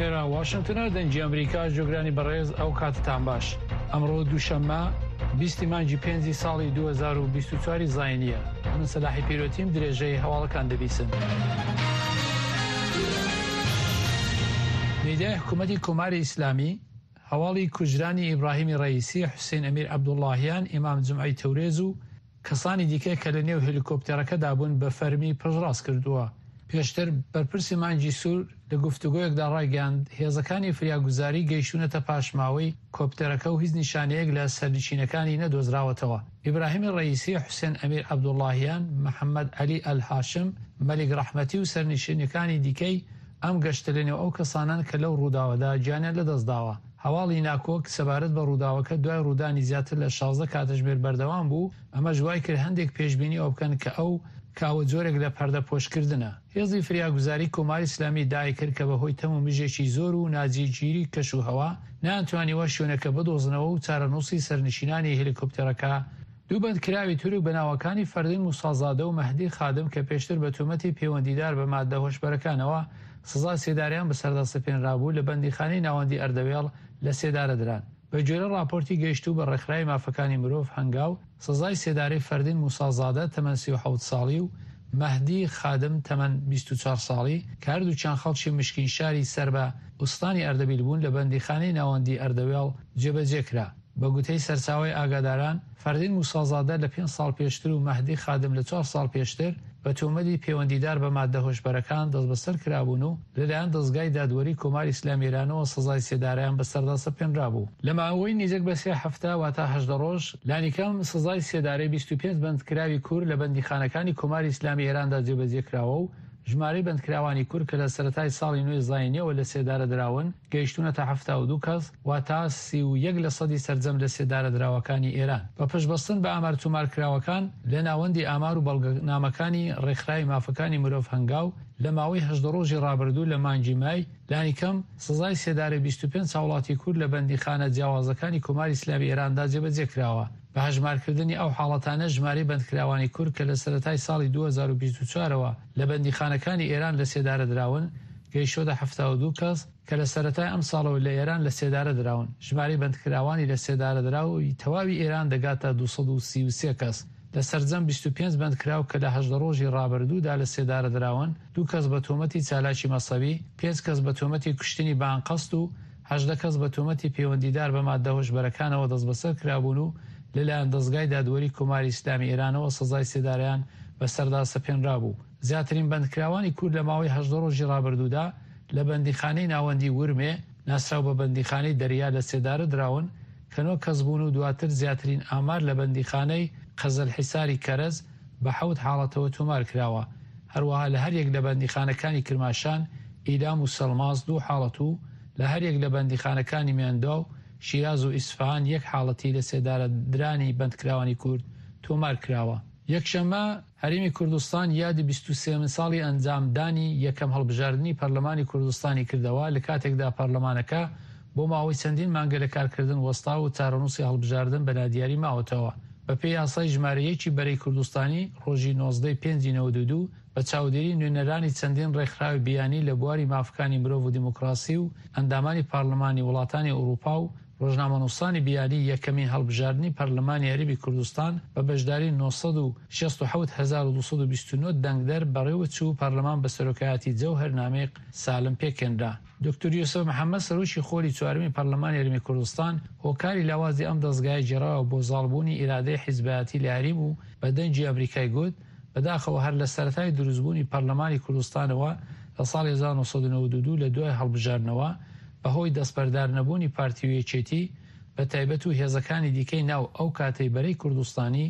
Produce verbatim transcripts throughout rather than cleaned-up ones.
ئێرە واشنگتنە، دەنگی ئەمریکا. جۆگرانی بەڕێز، ئەو کاتتان باش. ئەمڕۆ دووشەممە بیستی مانگی پێنجی ساڵی دوو هەزار و بیست و چوار زاینیە. من سەلاحی پیرۆتیم، درێژەی هەواڵەکان دەبیسن. میدیای حکوومەتی کۆماری ئیسلامی هەواڵی کوژرانی ئیبراهیمی ڕئیسی، حوسێن ئەمیر عەبدوڵڵاهیان، ئیمام جومعەی تەورێز و کەسانی دیکە کە لە نێو هێلیکۆپتەرەکەدا بوون بە فەرمی پشتڕاست کردووە. پێشتر بەرپرسی مانگی سوور لە گفتوگۆیەکدا ڕایگەیاند هێزەکانی فریاگوزاری گەیشتوونەتە پاشماوەی کۆپتەرەکە و هیچ نیشانەیەک لە سەرنشینەکانی نەدۆزراوەتەوە. ئیبراهیمی ڕئیسی، حوسێن ئەمیر عەبدوڵڵاهیان، محەممەد عەلی ئەلهاشم، مەلیک ڕەحمەتی و سەرنشینەکانی دیکەی ئەم گەشتە لەنێو ئەو کەسانان کە لەو ڕووداوەدا گیانیان لەدەستداوە. هەواڵی ناکۆک سەبارەت بە ڕووداوەکە دوای ڕوودانی زیاتر لە شازدە کاتژمێر بەردەوام بوو، ئەمەش وای کرد هەندێک پێشبینی ئەو بکەن کە ئەو کاوە جۆرێک لە پەردە پۆشکردنە. هێزی فریاگوزاری کۆماری ئیسلامی دای کرد کە بەهۆی تەم و مژێکی زۆر و ناجێگیری کەش و هەوا نەیانتوانیوە شوێنەکە بدۆزنەوە و چارەنووسی سەرنشینانی هێلیکۆپتەرەکە. دوو بەندکراوی تورک بە ناوەکانی فەردین موسازادە و مەهدی خادم کە پێشتر بە تۆمەتی پەیوەندیدار بە مادە هۆشبەرەکانەوە سزا سێداریان بەسەردا سەپێنرابوو لە بەندیخانەی ناوەندی ئەردەوێڵ لە سێدارە دران. بە گوێرە راپۆرتی گەیشتوو بە ڕێکخراوی مافەکانی مرۆڤ هەنگاو، سزای سێدارەی فەردین موسازادە تەمەن سی و حەوت ساڵی و مەهدی خادم تەمەن بیست و چوار ساڵی کە هەردووکیان خەڵکی مشکین شاری سەر بە ئوستانی ئەردەبیل بوون لە بەندیخانەی ناوەندی ئەردەوێڵ جێبەجێ کرا. بە گوتەی سەرچاوەی ئاگاداران، فەردین موسازادە لە پێنج ساڵ پێشتر و مەهدی خادم لە چوار ساڵ پێشتر بە تۆمەتی پەیوەندیدار بە مادە هۆشبەرەکان دەستبەسەر کرابوون و لەلایەن دەزگای دادوەری کۆماری ئیسلامی ئێرانەوە سزای سێدارەیان بەسەردا سەپێنرابوو. لە ماوەی نزیک بە سێ هەفتە واتە هەژدە ڕۆژ لانیکەم سزای سێدارەی بیست و پێنج بەندکراوی کورد لە بەندیخانەکانی کۆماری ئیسلامی ئێراندا جێبەجێ کراوە و ژمارەی بەندکراوانی کورد کە لە سەرەتای ساڵی نوێی زاینیەوە لە سێدارە دراون گەیشتوونەتە حەفتا و دوو کەس، واتە سی و یەک لە سەدی سەرجەم لە سێدارە دراوەکانی ئێران. بە پشتبەستن بە ئامار تۆمارکراوەکان لە ناوەندی ئامار و بەڵگەنامەکانی ڕێکخراوی مافەکانی مرۆڤ هەنگاو، لە ماوەی هەژدە ڕۆژی ڕابردوو لە مانگی مای لانیکەم سزای سێدارەی بیست و پێنج هاوڵاتی کورد لە بەندیخانە جیاوازەکانی کۆماری ئیسلامی ئێراندا جێبەجێ کراوە. بە هەژمارکردنی ئەو حاڵەتانە ژمارەی بەندکراوانی کورد کە لە سەرەتای ساڵی دوو هەزار و بیست و چوار لە بەندیخانەکانی ئێران لە سێدارە دراون گەیشتۆتە حەفتا و دوو کەس کە لە سەرەتای ئەم ساڵەوە لە ئێران لە سێدارە دراون. ژمارەی بەندکراوانی لە سێدارە دراوی تەواوی ئێران دەگاتە دوو سەد و سی و سێ کەس. لە سەرجەم بیست و پێنج بەندکراو کە لە هەژدە ڕۆژی ڕابردوودا لە سێدارە دراون، دوو کەس بە تۆمەتی چالاکی مەسەبی، پێنج کەس بە تۆمەتی کوشتنی بانقەست و هەژدە کەس بە تۆمەتی پەیوەندیدار بە مادە هۆشبەرەکانەوە دەستبەسەر کرابوون و لەلایەن دەزگای دادوەری کۆماری ئیسلامی ئێرانەوە سزای سێدارەیان بەسەردا سەپێنرابوو. زیاترین بەندکراوانی کورد لە ماوەی هەژدە ڕۆژی ڕابردوودا لە بەندیخانەی ناوەندی ورمێ ناسراو بە بەندیخانەی دەریا لە سێدارە دراون کە نۆ کەس بوون و دواتر زیاترین ئامار لە بەندیخانەی قەزەلحیساری کەرەز بە حەوت حاڵەتەوە تۆمار کراوە. هەروەها لە هەریەک لە بەندیخانەکانی کرماشان، ئیلام و سەلماس دوو حاڵەت و لە هەریەک لە بەندیخانەکانی میانداو، شیراز و ئیسفهان یەک حاڵەتی لە سێدارە درانی بەندکراوانی کورد تۆمار کراوە. یەکشەممە هەرێمی کوردستان یادی بیست و سێمین ساڵی ئەنجامدانی یەکەم هەڵبژاردنی پەرلەمانی کوردستانی کردەوە لە کاتێکدا پەرلەمانەکە بۆ ماوەی چەندین مانگە لە کارکردن وەستا و چارەنووسی هەڵبژاردن بە نادیاری ماوەتەوە. بە پێی یاسای ژمارە یەکی بەرەی کوردستانی ڕۆژی نۆزدەی پێنجی نەوەد و دوو بە چاودێری نوێنەرانی چەندین ڕێکخراوی بیانی لە بواری مافەکانی مرۆڤ و دیموکراسی و ئەندامانی پەرلەمانی وڵاتانی ئەوروپا و ڕۆژنامەنووسانی بیانی یەکەمین هەڵبژاردنی پەرلەمانی هەرێمی کوردستان بە بەشداری نۆ سەد و شەست و حەوت هەزار و دوو سەد و بیست و نۆ دەنگدەر بەڕێوەچوو و پەرلەمان بە سەرۆکایەتی جەوهەر نامیق سالم پێکهێنرا. دکتۆر یوسف محەممەد سەرۆکی خۆلی چوارەمی پەرلەمانی هەرێمی کوردستان هۆکاری لاوازی ئەم دەزگایە گێڕاوە بۆ زاڵبوونی ئیرادەی حیزبایەتی لە هەرێم و بە دەنگی ئەمریکای گوت بەداخەوە هەر لە سەرەتای دروستبوونی پەرلەمانی کوردستانەوە لە ساڵی هەزار و نۆ سەد و نەوەد و دوو لە دوای هەڵبژاردنەوە بەهۆی دەستبەردار نەبوونی پارتی و یەکێتی بە تایبەت و هێزەکانی دیکەی ناو ئەو کاتەی بەرەی کوردستانی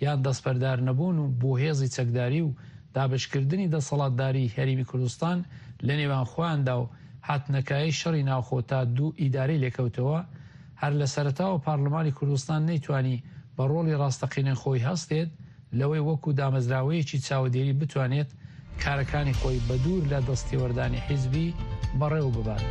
یان دەستبەردار نەبوون و بۆ هێزی چەکداری و دابشکردنی دەسەڵاتداری هەرێمی کوردستان لە نێوان خۆیاندا و هاتنەکایەی شەڕی ناوخۆ تا دوو ئیدارەی لێکەوتەوە هەر لە سەرەتاوە پارلمانی کوردستان نەیتوانی بە ڕۆڵی ڕاستەقینەی خۆی هەستێت لەوەی وەکو دامەزراوەیەکی چاودێری بتوانێت کارەکانی خۆی بە دوور لە دەستێوەردانی حیزبی بەڕێوە ببات.